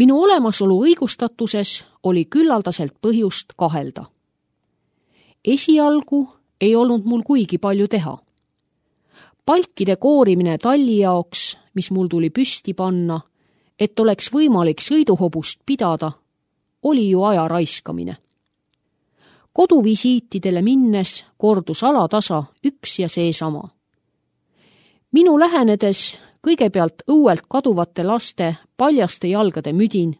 Minu olemasolu õigustatuses oli küllaldaselt põhjust kahelda. Esialgu ei olnud mul kuigi palju teha. Palkide koorimine talli jaoks, mis mul tuli püsti panna, et oleks võimalik sõiduhobust pidada, oli ju aja raiskamine. Koduvisiitidele minnes kordus alatasa üks ja seesama. Minu lähenedes kõigepealt õuelt kaduvate laste paljaste jalgade müdin,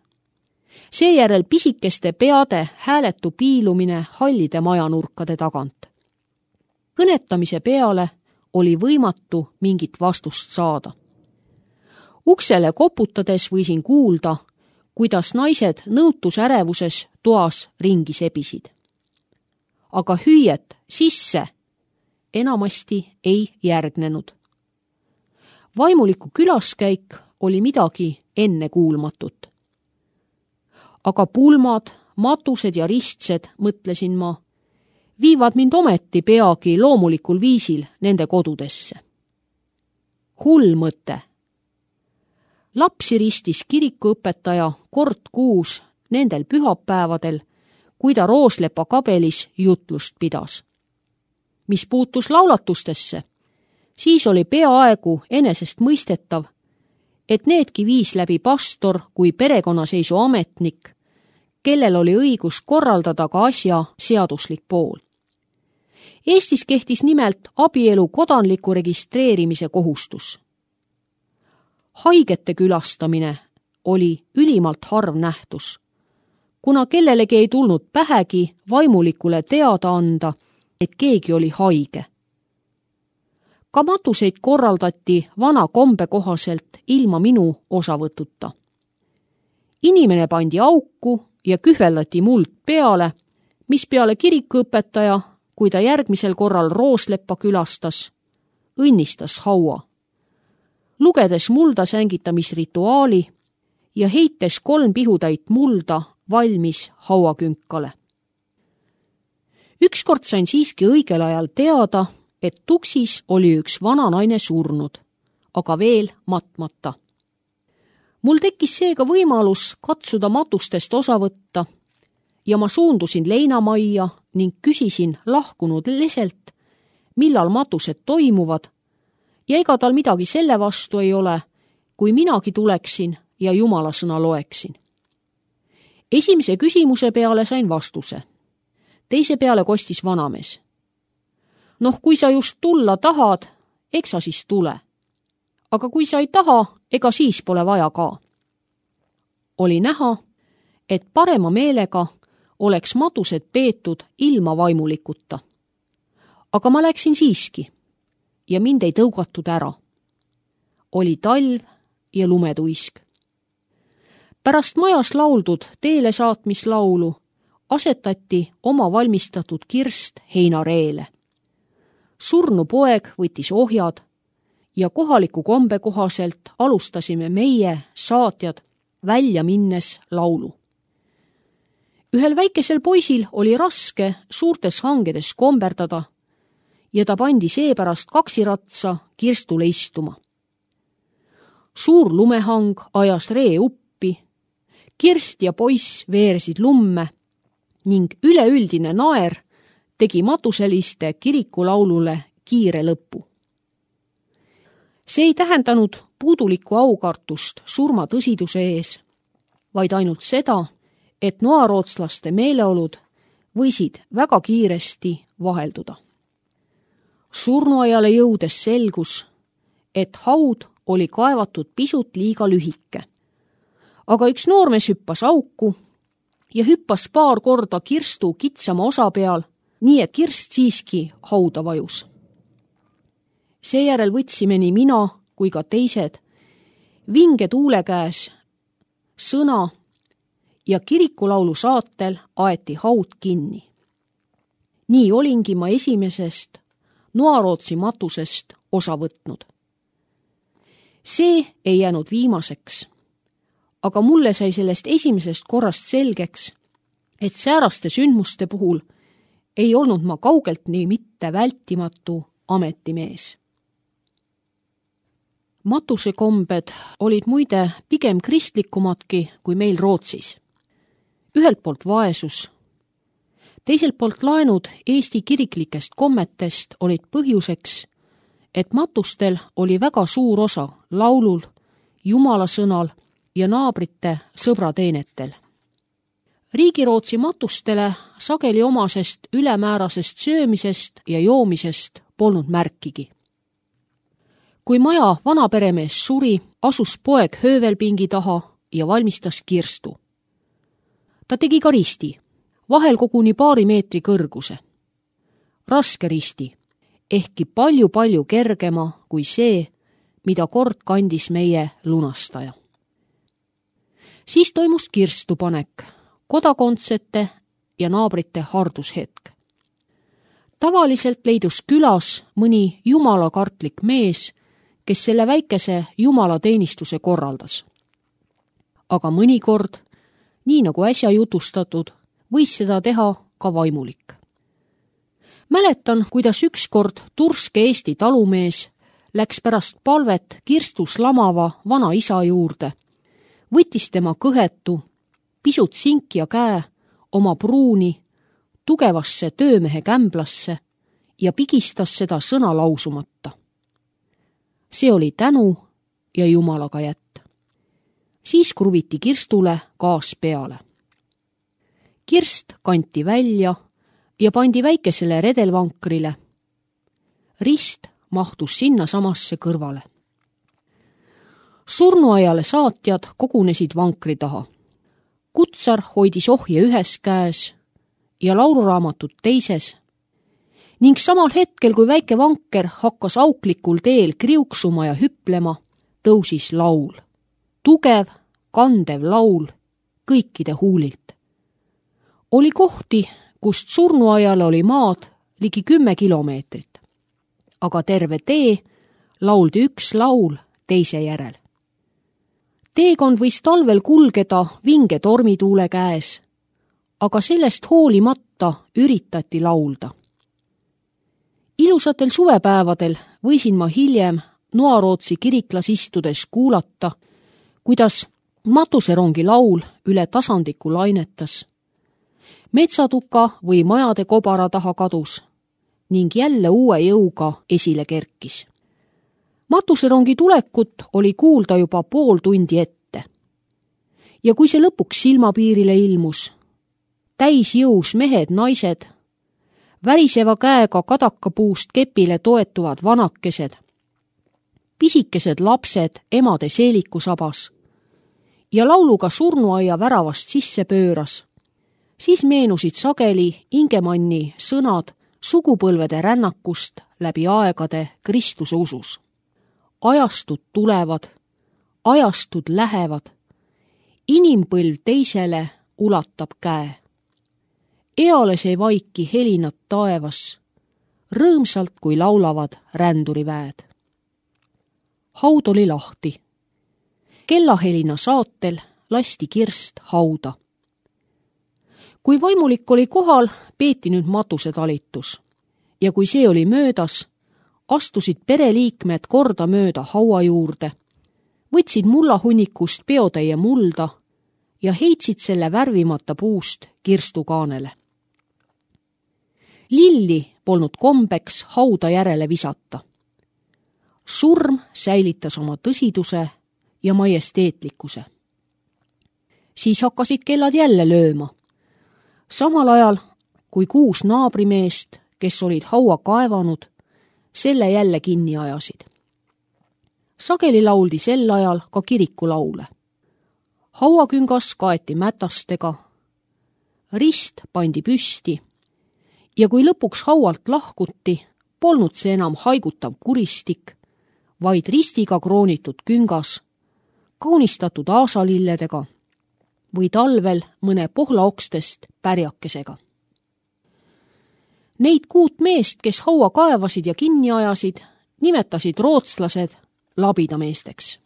seejärel pisikeste peade hääletu piilumine hallide majanurkade tagant. Kõnetamise peale oli võimatu mingit vastust saada. Uksele koputades võisin kuulda, kuidas naised nõutusärevuses toas ringi sebisid. Aga hüüet sisse enamasti ei järgnenud. Vaimuliku külaskäik oli midagi ennekuulmatut. Aga pulmad, matused ja ristsed, mõtlesin ma, viivad mind ometi peagi loomulikul viisil nende kodudesse. Hull mõte. Lapsi ristis kirikuõpetaja kord kuus nendel pühapäevadel, kui ta Rooslepa kabelis jutlust pidas. Mis puutus laulatustesse, siis oli peaaegu enesest mõistetav, et needki viis läbi pastor kui perekonnaseisu ametnik, kellel oli õigus korraldada ka asja seaduslik pool. Eestis kehtis nimelt abielu kodanliku registreerimise kohustus. Haigete külastamine oli ülimalt harv nähtus, kuna kellelegi ei tulnud pähegi vaimulikule teada anda, et keegi oli haige. Ka matuseid korraldati vana kombe kohaselt ilma minu osavõtuta. Inimene pandi auku ja kühveldati muld peale, mis peale kirikuõpetaja, kui ta järgmisel korral Roosleppa külastas, õnnistas haua, lugedes mulda sängitamisrituaali ja heites 3 pihutäit mulda valmis hauakünkale. Ükskord sain siiski õigel ajal teada, et tuksis oli üks vana naine surnud, aga veel matmata. Mul tekkis seega võimalus katsuda matustest osa võtta ja ma suundusin leinamajja ning küsisin lahkunud leselt, millal matused toimuvad ja ega tal midagi selle vastu ei ole, kui minagi tuleksin ja Jumala sõna loeksin. Esimese küsimuse peale sain vastuse. Teise peale kostis vanamees. Noh, kui sa just tulla tahad, eks sa siis tule. Aga kui sa ei taha, ega siis pole vaja ka. Oli näha, et parema meelega oleks matused peetud ilma vaimulikuta. Aga ma läksin siiski ja mind ei tõugatud ära. Oli talv ja lumetuisk. Pärast majas lauldud teele saatmislaulu asetati oma valmistatud kirst heinareele. Surnu poeg võttis ohjad ja kohaliku kombe kohaselt alustasime meie, saatjad, välja minnes laulu. Ühel väikesel poisil oli raske suurtes hangedes komberdada ja ta pandi seepärast kaksiratsa kirstule istuma. Suur lumehang ajas ree uppi, kirst ja poiss veersid lumme ning üleüldine naer tegi matuseliste kirikulaulule kiire lõppu. See ei tähendanud puudulikku aukartust surma tõsiduse ees, vaid ainult seda, et noarootslaste meeleolud võisid väga kiiresti vahelduda. Surnuaiale jõudes selgus, et haud oli kaevatud pisut liiga lühike. Aga üks noormees hüppas auku ja hüppas paar korda kirstu kitsama osa peal, nii et kirst siiski hauda vajus. Seejärel võtsime nii mina kui ka teised vinge tuule käes sõna ja kirikulaulu saatel aeti haud kinni. Nii olingi ma esimesest Noarootsi matusest osa võtnud. See ei jäänud viimaseks, aga mulle sai sellest esimesest korrast selgeks, et sääraste sündmuste puhul ei olnud ma kaugelt nii mitte vältimatu ametimees. Matusekombed olid muide pigem kristlikumadki kui meil Rootsis. Ühelt poolt vaesus, teiselt poolt laenud Eesti kiriklikest kommetest olid põhjuseks, et matustel oli väga suur osa laulul, Jumala sõnal ja naabrite sõbrateenetel. Riigirootsi matustele sageli omasest ülemäärasest söömisest ja joomisest polnud märkigi. Kui maja vanaperemees suri, asus poeg höövelpingi taha ja valmistas kirstu. Ta tegi ka risti, vahel koguni 2 meetri kõrguse. Raske risti, ehkki palju-palju kergema kui see, mida kord kandis meie lunastaja. Siis toimus kirstupanek, kodakondsete ja naabrite hardushetk. Tavaliselt leidus külas mõni jumalakartlik mees, kes selle väikese jumalateenistuse korraldas. Aga mõnikord, nii nagu äsja jutustatud, võis seda teha ka vaimulik. Mäletan, kuidas ükskord turske Eesti talumees läks pärast palvet kirstus lamava vana isa juurde, võttis tema kõhetu, pisut sinkja käe oma pruuni tugevasse töömehe kämblasse ja pigistas seda sõna lausumata. See oli tänu ja Jumalaga jätt. Siis kruviti kirstule gaas peale. Kirst kanti välja ja pandi väikesele redelvankrile. Rist mahtus sinna samasse kõrvale. Surnuaiale saatjad kogunesid vankri taha. Kutsar hoidis ohje ühes käes ja lauluraamatut teises ning samal hetkel, kui väike vanker hakkas auklikul teel kriuksuma ja hüplema, tõusis laul. Tugev, kandev laul kõikide huulilt. Oli kohti, kust surnuaiale oli maad ligi 10 kilomeetrit, aga terve tee lauldi üks laul teise järel. Teekond võis talvel kulgeda vinge tormituule käes, aga sellest hoolimata üritati laulda. Ilusatel suvepäevadel võisin ma hiljem Noarootsi kiriklas istudes kuulata, kuidas matuserongi laul üle tasandiku lainetas. Metsatuka või majade kobara taha kadus ning jälle uue jõuga esile kerkis. Matuserongi tulekut oli kuulda juba pool tundi ette. Ja kui see lõpuks silmapiirile ilmus, täisjõus mehed, naised, väriseva käega kadakapuust kepile toetuvad vanakesed, pisikesed lapsed emade seelikusabas ja lauluga surnuaia väravast sisse pööras, siis meenusid sageli Ingemanni sõnad sugupõlvede rännakust läbi aegade Kristuse usus. Ajastud tulevad, ajastud lähevad, inimpõlv teisele ulatab käe. Eales ei vaiki helinad taevas, rõõmsalt kui laulavad ränduriväed. Haud oli lahti. Kellahelina saatel lasti kirst hauda. Kui vaimulik oli kohal, peeti nüüd matusetalitus ja kui see oli möödas, astusid pereliikmed korda mööda haua juurde, võtsid mullahunnikust peotäie mulda ja heitsid selle värvimata puust kirstukaanele. Lilli polnud kombeks hauda järele visata. Surm säilitas oma tõsiduse ja majesteetlikkuse. Siis hakkasid kellad jälle lööma. Samal ajal, kui 6 naabrimeest, kes olid haua kaevanud, selle jälle kinni ajasid. Sageli lauldi sel ajal ka kirikulaule. Hauaküngas kaeti mätastega, rist pandi püsti ja kui lõpuks haualt lahkuti, polnud see enam haigutav kuristik, vaid ristiga kroonitud küngas, kaunistatud aasalilledega või talvel mõne pohlaokstest pärjakesega. Neid 6 meest, kes haua kaevasid ja kinni ajasid, nimetasid rootslased labidameesteks.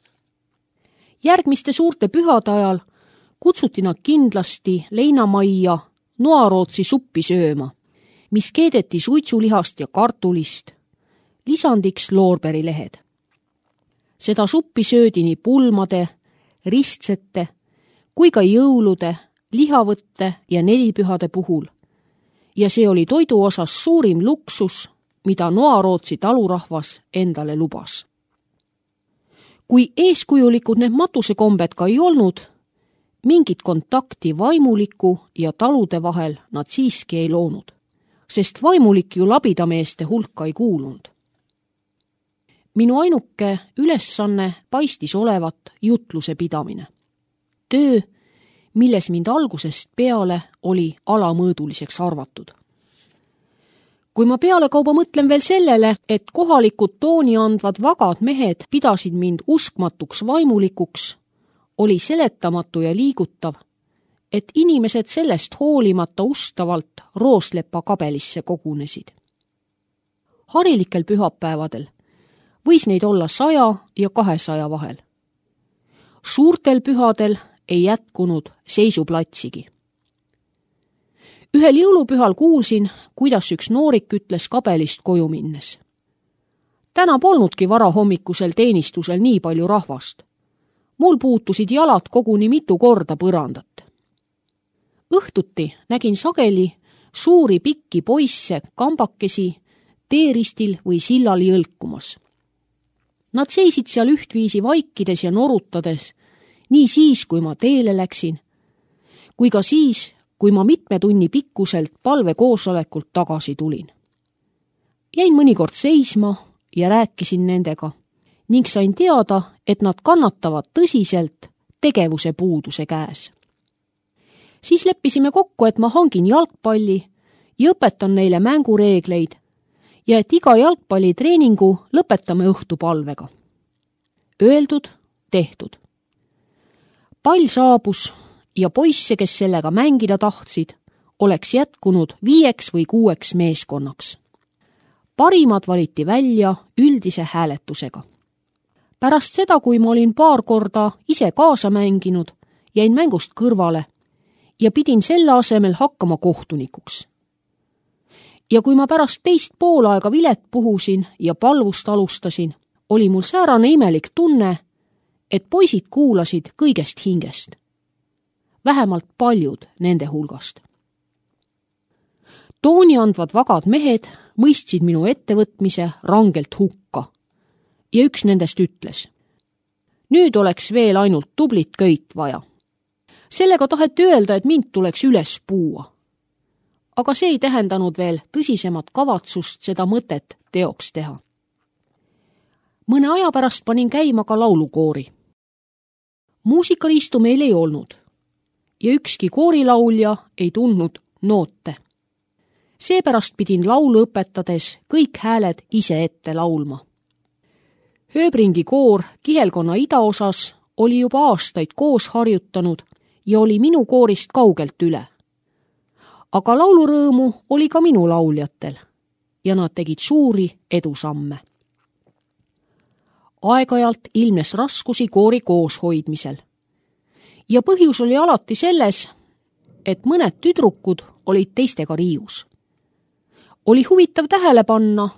Järgmiste suurte pühade ajal kutsuti nad kindlasti leinamajja Noarootsi suppi sööma, mis keedeti suitsulihast ja kartulist, lisandiks loorberilehed. Seda suppi söödi nii pulmade, ristsete kui ka jõulude, lihavõtte ja nelipühade puhul. Ja see oli toidu osas suurim luksus, mida Noarootsi talurahvas endale lubas. Kui eeskujulikud need matusekombed ka ei olnud, mingit kontakti vaimuliku ja talude vahel nad siiski ei loonud, sest vaimulik ju labidameeste hulka ei kuulunud. Minu ainuke ülesanne paistis olevat jutluse pidamine. Töö, milles mind algusest peale oli alamõõduliseks arvatud. Kui ma pealekauba mõtlen veel sellele, et kohalikud tooni andvad vagad mehed pidasid mind uskmatuks vaimulikuks, oli seletamatu ja liigutav, et inimesed sellest hoolimata ustavalt Rooslepa kabelisse kogunesid. Harilikel pühapäevadel võis neid olla 100 ja 200 vahel. Suurtel pühadel ei jätkunud seisuplatsigi. Ühel jõulupühal kuulsin, kuidas üks noorik ütles kabelist koju minnes. Täna polnudki varahommikusel teenistusel nii palju rahvast. Mul puutusid jalad koguni mitu korda põrandat. Õhtuti nägin sageli suuri pikki poisse kambakesi teeristil või sillal jõlkumas. Nad seisid seal ühtviisi vaikides ja norutades, nii siis, kui ma teele läksin, kui ka siis, kui ma mitme tunni pikkuselt palvekoosolekult tagasi tulin. Jäin mõnikord seisma ja rääkisin nendega ning sain teada, et nad kannatavad tõsiselt tegevuse puuduse käes. Siis leppisime kokku, et ma hangin jalgpalli ja õpetan neile mängureegleid ja et iga jalgpallitreeningu lõpetame õhtupalvega. Öeldud, tehtud. Pall saabus ja poisse, kes sellega mängida tahtsid, oleks jätkunud 5 või 6 meeskonnaks. Parimad valiti välja üldise hääletusega. Pärast seda, kui ma olin paar korda ise kaasa mänginud, jäin mängust kõrvale ja pidin selle asemel hakkama kohtunikuks. Ja kui ma pärast teist poolaega vilet puhusin ja palvust alustasin, oli mul säärane imelik tunne, et poisid kuulasid kõigest hingest. Vähemalt paljud nende hulgast. Tooni andvad vagad mehed mõistsid minu ettevõtmise rangelt hukka ja üks nendest ütles: nüüd oleks veel ainult tublit köit vaja. Sellega taheti öelda, et mind tuleks üles puua. Aga see ei tähendanud veel tõsisemat kavatsust seda mõtet teoks teha. Mõne aja pärast panin käima ka laulukoori. Muusikariistu meil ei olnud ja ükski koorilaulja ei tundnud noote. Seepärast pidin laulu õpetades kõik hääled ise ette laulma. Hööbringi koor Kihelkonna idaosas oli juba aastaid koos harjutanud ja oli minu koorist kaugelt üle. Aga laulurõõmu oli ka minu lauljatel ja nad tegid suuri edusamme. Aeg-ajalt ilmnes raskusi koori kooshoidmisel. Ja põhjus oli alati selles, et mõned tüdrukud olid teistega riius. Oli huvitav tähele panna,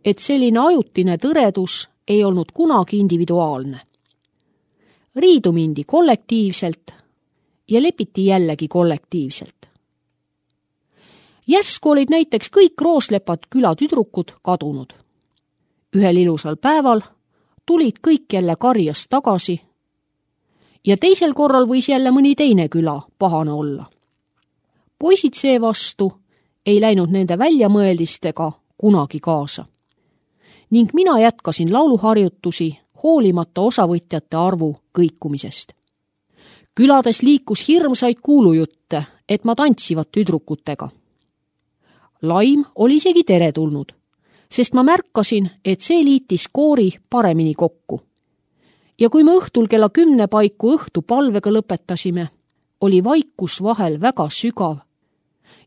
et selline ajutine tõredus ei olnud kunagi individuaalne. Riidu mindi kollektiivselt ja lepiti jällegi kollektiivselt. Järsku olid näiteks kõik Rooslepad küla tüdrukud kadunud. Ühel ilusal päeval tulid kõik jälle karjast tagasi ja teisel korral võis jälle mõni teine küla pahane olla. Poisid seevastu ei läinud nende väljamõeldistega kunagi kaasa. Ning mina jätkasin lauluharjutusi hoolimata osavõtjate arvu kõikumisest. Külades liikus hirmsaid kuulujutte, et ma tantsivad tüdrukutega. Laim oli isegi teretulnud, sest ma märkasin, et see liitis koori paremini kokku. Ja kui me õhtul kella 10 paiku õhtupalvega lõpetasime, oli vaikus vahel väga sügav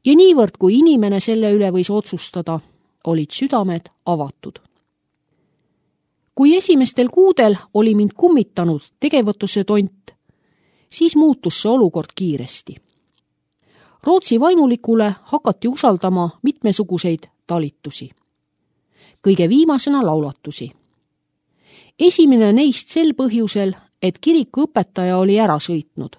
ja niivõrd, kui inimene selle üle võis otsustada, olid südamed avatud. Kui esimestel kuudel oli mind kummitanud tegevõtuse tont, siis muutus see olukord kiiresti. Rootsi vaimulikule hakati usaldama mitmesuguseid talitusi. Kõige viimasena laulatusi. Esimene neist sel põhjusel, et kiriku õpetaja oli ära sõitnud.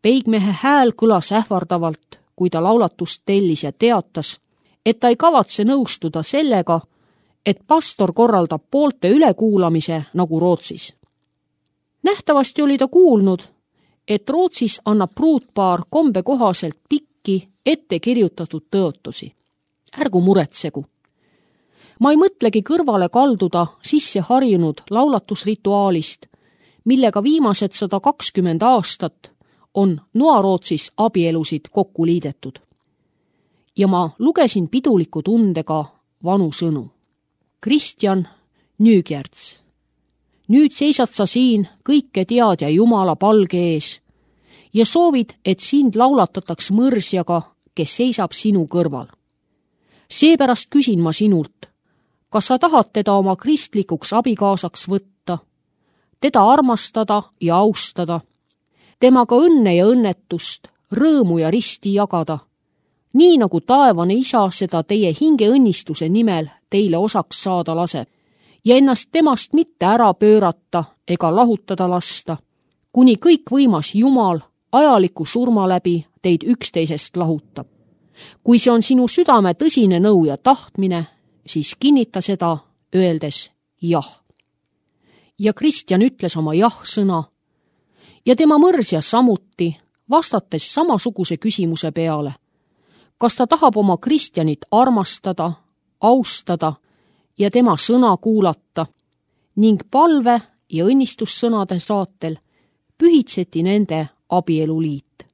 Peigmehe hääl kõlas ähvardavalt, kui ta laulatust tellis ja teatas, et ta ei kavatse nõustuda sellega, et pastor korraldab poolte ülekuulamise nagu Rootsis. Nähtavasti oli ta kuulnud, et Rootsis annab pruutpaar kombe kohaselt pikki ette kirjutatud tõotusi. Ärgu muretsegu. Ma ei mõtlegi kõrvale kalduda sisse harjunud laulatusrituaalist, millega viimased 120 aastat on Noa-Rootsis abielusid kokku liidetud. Ja ma lugesin piduliku tundega vanu sõnu. Kristjan Nygärts. Nüüd seisad sa siin kõike teadja Jumala palge ees ja soovid, et sind laulatataks mõrsjaga, kes seisab sinu kõrval. Seepärast küsin ma sinult, kas sa tahad teda oma kristlikuks abikaasaks võtta, teda armastada ja austada, temaga õnne ja õnnetust, rõõmu ja risti jagada, nii nagu taevane isa seda teie hingeõnnistuse nimel teile osaks saada laseb, ja ennast temast mitte ära pöörata ega lahutada lasta, kuni kõikvõimas Jumal ajaliku surma läbi teid üksteisest lahutab. Kui see on sinu südame tõsine nõu ja tahtmine, siis kinnita seda, öeldes jah. Ja Kristjan ütles oma jah-sõna ja tema mõrsja samuti, vastates samasuguse küsimuse peale. Kas ta tahab oma Kristjanit armastada, austada ja tema sõna kuulata ning palve ja õnnistussõnade saatel pühitseti nende abieluliit.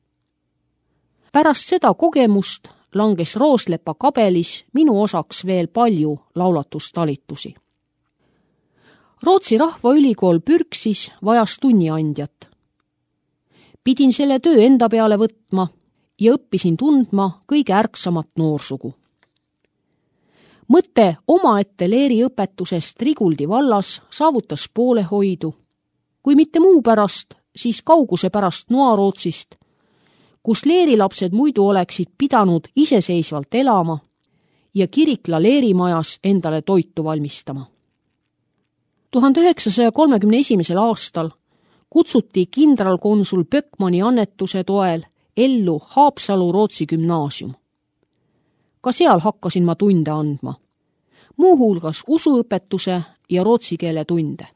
Pärast seda kogemust langes Rooslepa kabelis minu osaks veel palju laulatustalitusi. Rootsi Rahvaülikool Pürksis vajas tunniandjat. Pidin selle töö enda peale võtma ja õppisin tundma kõige ärksamat noorsugu. Mõte omaette leeriõpetusest Riguldi vallas saavutas poolehoidu, kui mitte muu pärast, siis kauguse pärast Noa-Rootsist, kus leerilapsed muidu oleksid pidanud iseseisvalt elama ja kirikla leerimajas endale toitu valmistama. 1931. aastal kutsuti kindralkonsul Böckmanni annetuse toel ellu Haapsalu Rootsi gümnaasium. Ka seal hakkasin ma tunde andma, muuhulgas usuõpetuse ja rootsi keele tunde.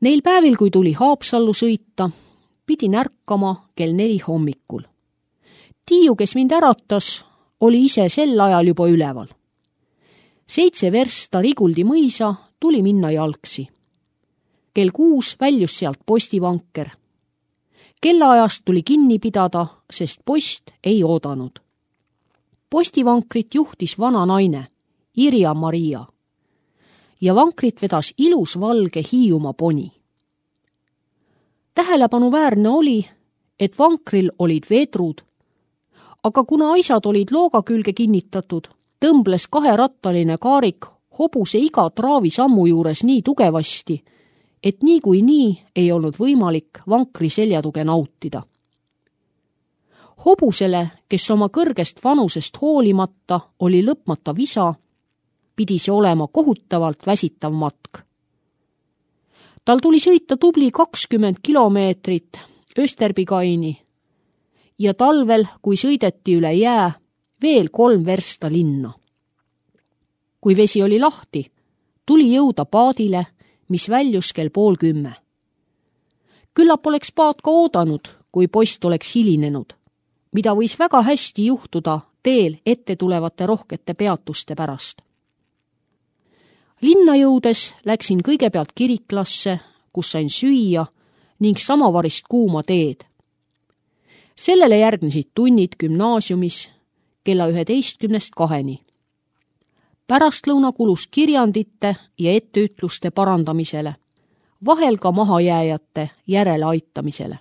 Neil päevil, kui tuli Haapsallu sõita, pidin ärkama kell 4 hommikul. Tiiu, kes mind äratas, oli ise sel ajal juba üleval. 7 versta Riguldi mõisa tuli minna jalgsi. Kell 6 väljus sealt postivanker. Kellaajast tuli kinni pidada, sest post ei oodanud. Postivankrit juhtis vana naine, Irja Maria, ja vankrit vedas ilus valge Hiiumaa poni. Tähelepanuväärne oli, et vankril olid vedrud, aga kuna aisad olid looga külge kinnitatud, tõmbles 2-rattaline kaarik hobuse iga traavi sammu juures nii tugevasti, et nii ei olnud võimalik vankri seljatuge nautida. Hobusele, kes oma kõrgest vanusest hoolimata oli lõpmata visa, pidi see olema kohutavalt väsitav matk. Tal tuli sõita tubli 20 kilomeetrit Österbykaini ja talvel, kui sõideti üle jää, veel 3 versta linna. Kui vesi oli lahti, tuli jõuda paadile, mis väljus kell 9:30. Küllap oleks paat ka oodanud, kui post oleks hilinenud, mida võis väga hästi juhtuda teel ette tulevate rohkete peatuste pärast. Linna jõudes läksin kõigepealt kiriklasse, kus sain süüa ning samavarist kuuma teed. Sellele järgnesid tunnid gümnaasiumis kella 11-2. Pärastlõuna kulus kirjandite ja etteütluste parandamisele, vahel ka mahajääjate järeleaitamisele.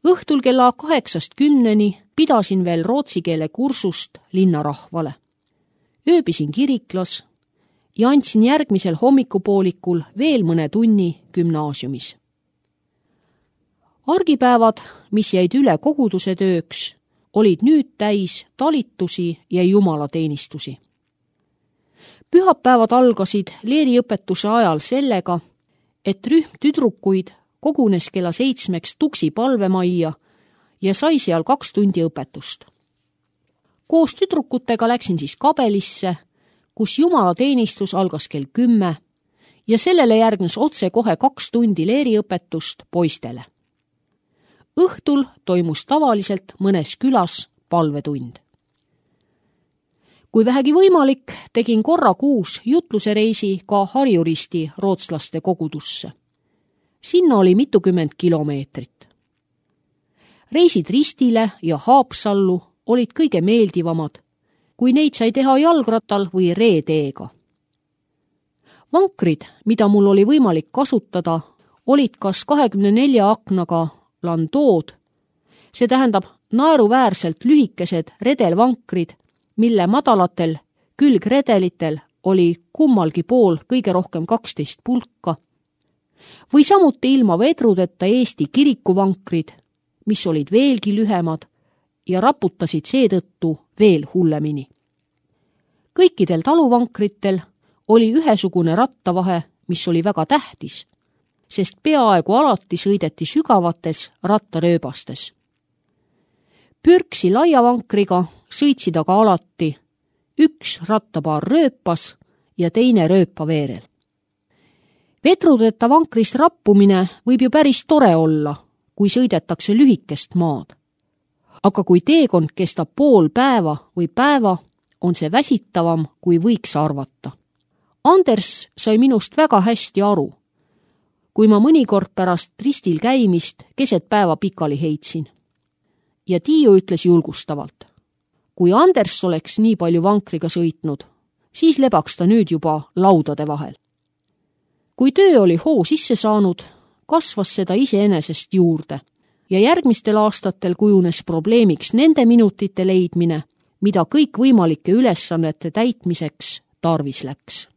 Õhtul kella 8-10 pidasin veel rootsi keele kursust linnarahvale. Ööbisin kiriklas ja andsin järgmisel hommikupoolikul veel mõne tunni gümnaasiumis. Argipäevad, mis jäid üle koguduse tööks, olid nüüd täis talitusi ja jumalateenistusi. Pühapäevad algasid leeriõpetuse ajal sellega, et rühm tüdrukuid kogunes kella 7 Tuksi palvemajja ja sai seal 2 tundi õpetust. Koos tüdrukutega läksin siis kabelisse, kus jumalateenistus algas kell 10 ja sellele järgnes otse kohe 2 tundi leeriõpetust poistele. Õhtul toimus tavaliselt mõnes külas palvetund. Kui vähegi võimalik, tegin korra kuus jutluse reisi ka Harjuristi rootslaste kogudusse. Sinna oli mitukümmend kilomeetrit. Reisid Ristile ja Haapsallu olid kõige meeldivamad, kui neid sai teha jalgrattal või reeteega. Vankrid, mida mul oli võimalik kasutada, olid kas 24 aknaga landood, see tähendab naeruväärselt lühikesed redelvankrid, mille madalatel külgredelitel oli kummalgi pool kõige rohkem 12 pulka, või samuti ilma vedrudeta Eesti kirikuvankrid, mis olid veelgi lühemad ja raputasid seetõttu veel hullemini. Kõikidel taluvankritel oli ühesugune rattavahe, mis oli väga tähtis, sest peaaegu alati sõideti sügavates rattarööbastes. Pürksi laiavankriga sõitsid aga alati üks rattapaar rööpas ja teine rööpaveerel. Vedrudeta vankrist rappumine võib ju päris tore olla, kui sõidetakse lühikest maad. Aga kui teekond kestab pool päeva või päeva, on see väsitavam, kui võiks arvata. Anders sai minust väga hästi aru, kui ma mõnikord pärast ristil käimist keset päeva pikali heitsin. Ja Tiiu ütles julgustavalt. Kui Anders oleks nii palju vankriga sõitnud, siis lebaks ta nüüd juba laudade vahel. Kui töö oli hoo sisse saanud, kasvas seda iseenesest juurde ja järgmistel aastatel kujunes probleemiks nende minutite leidmine, mida kõik võimalike ülesannete täitmiseks tarvis läks.